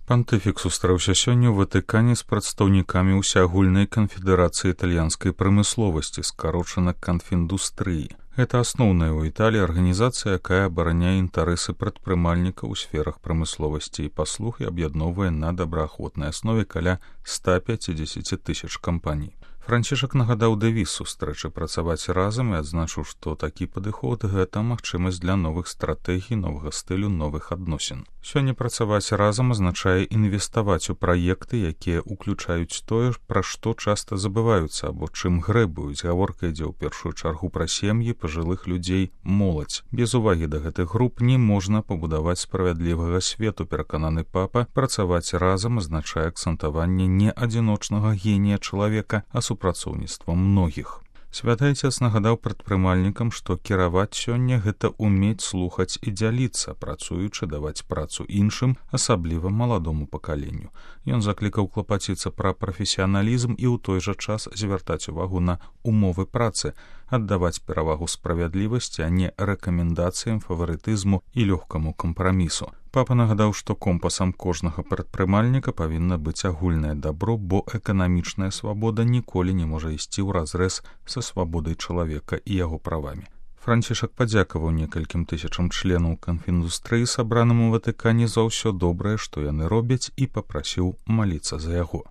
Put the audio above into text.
Пантыфік сустрэўся сёння ў Ватыкане з прадстаўнікамі ўсеагульнай канфедэрацыі італьянскай прамысловасці, скарочана канфіндустрыі. Гэта асноўная ў Італіі арганізацыя, якая абараняе інтарэсы прадпрымальнікаў у сферах прамысловасці і паслуг і аб'ядноўвае на добраахвотнай аснове каля 150 тысяч кампаній. Францішак нагадаў дэвіз сустрэчы працаваць разам і адзначыў, што такі падыход – гэта магчымасць для новых стратэгій, новага стылю, новых адносін. Сёння працаваць разам азначае інвеставаць у праекты, якія ўключаюць тое, пра што часта забываюцца або чым грэбуюць. Гаворка ідзе ў першую чаргу пра сем'і, пажылых людзей, моладзь. Без увагі да гэтых груп не можна пабудаваць справядлівага свету, перакананы папа. Працаваць разам азначае акцэнтаванне не адзіночнага генія чалавека, а супрацоўніцтва многіх. Святы Айцец нагадаў прадпрымальнікам, што кіраваць сёння – гэта ўмець слухаць і дзяліцца, працуючы даваць працу іншым, асабліва маладому пакаленню. Ён заклікаў клапаціцца пра прафесіяналізм і ў той жа час звяртаць увагу на умовы працы, аддаваць перавагу справядлівасці, а не рэкамендацыям, фаварытызму і лёгкаму кампрамісу. Папа нагадаў, што компасам кожнага прадпрымальніка павінна быць агульнае дабро, бо эканамічная свабода ніколі не можа ісці ўразрэз са свабодай чалавека і яго правамі. Францішак падзякаваў некалькім тысячам членаў канфіндустрыі, сабраным у Ватыкане, за ўсё добрае, што яны робяць, і папрасіў маліцца за яго.